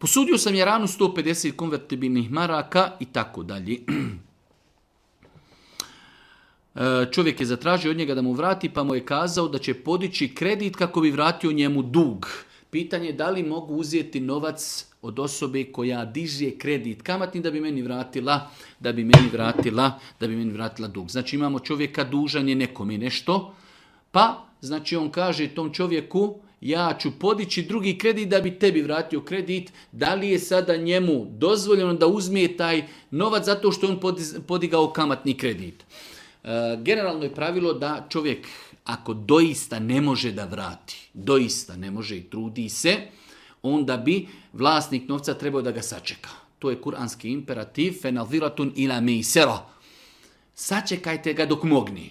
Posudio sam Jaranu 150 konvertibilnih maraka i tako dalje. Čovjek je zatražio od njega da mu vrati, pa mu je kazao da će podići kredit kako bi vratio njemu dug. Pitanje je da li mogu uzeti novac od osobe koja diže kredit kamatni da bi meni vratila dug. Znači imamo čovjeka dužan je nekome nešto, pa znači on kaže tom čovjeku ja ću podići drugi kredit da bi tebi vratio kredit. Da li je sada njemu dozvoljeno da uzme taj novac zato što je on podigao kamatni kredit? Generalno je pravilo da čovjek ako doista ne može da vrati, doista ne može i trudi se, onda bi vlasnik novca trebao da ga sačeka. To je kuranski imperativ, fenalviratun ila meisera. Sačekajte ga dok mogne.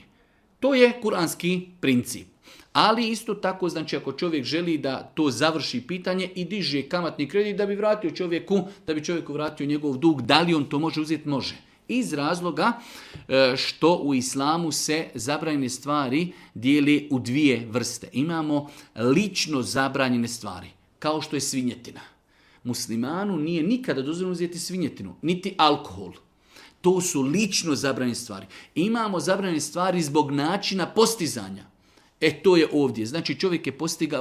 To je kuranski princip. Ali isto tako, znači ako čovjek želi da to završi pitanje i diže kamatni kredit da bi vratio čovjeku, da bi čovjeku vratio njegov dug, da li on to može uzeti? Može. Iz razloga što u islamu se zabranjene stvari dijeli u dvije vrste. Imamo lično zabranjene stvari, kao što je svinjetina. Muslimanu nije nikada dozvoljeno uzeti svinjetinu, niti alkohol. To su lično zabranjene stvari. Imamo zabranjene stvari zbog načina postizanja. To je ovdje. Znači čovjek je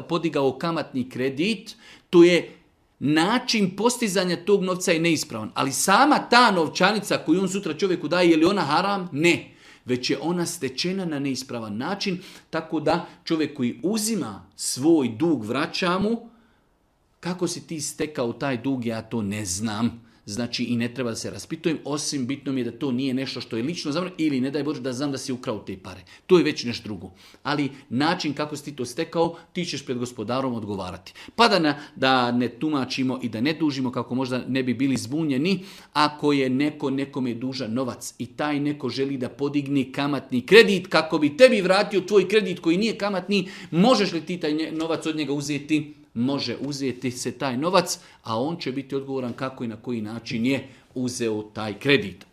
podigao kamatni kredit, to je način postizanja tog novca je neispravan. Ali sama ta novčanica koju on sutra čovjeku daje, je li ona haram? Ne. Već je ona stečena na neispravan način, tako da čovjek koji uzima svoj dug vraća mu. Kako si ti stekao taj dug, ja to ne znam. Znači i ne treba da se raspitujem, osim bitno mi je da to nije nešto što je lično zabranjeno ili ne daj Bože da znam da si ukrao te pare. To je već nešto drugo. Ali način kako si ti to stekao, ti ćeš pred gospodarom odgovarati. Pa da ne tumačimo i da ne dužimo kako možda ne bi bili zbunjeni, ako je neko nekome dužan novac i taj neko želi da podigne kamatni kredit kako bi tebi vratio tvoj kredit koji nije kamatni, možeš li ti taj novac od njega uzeti? Može uzeti se taj novac, a on će biti odgovoran kako i na koji način je uzeo taj kredit.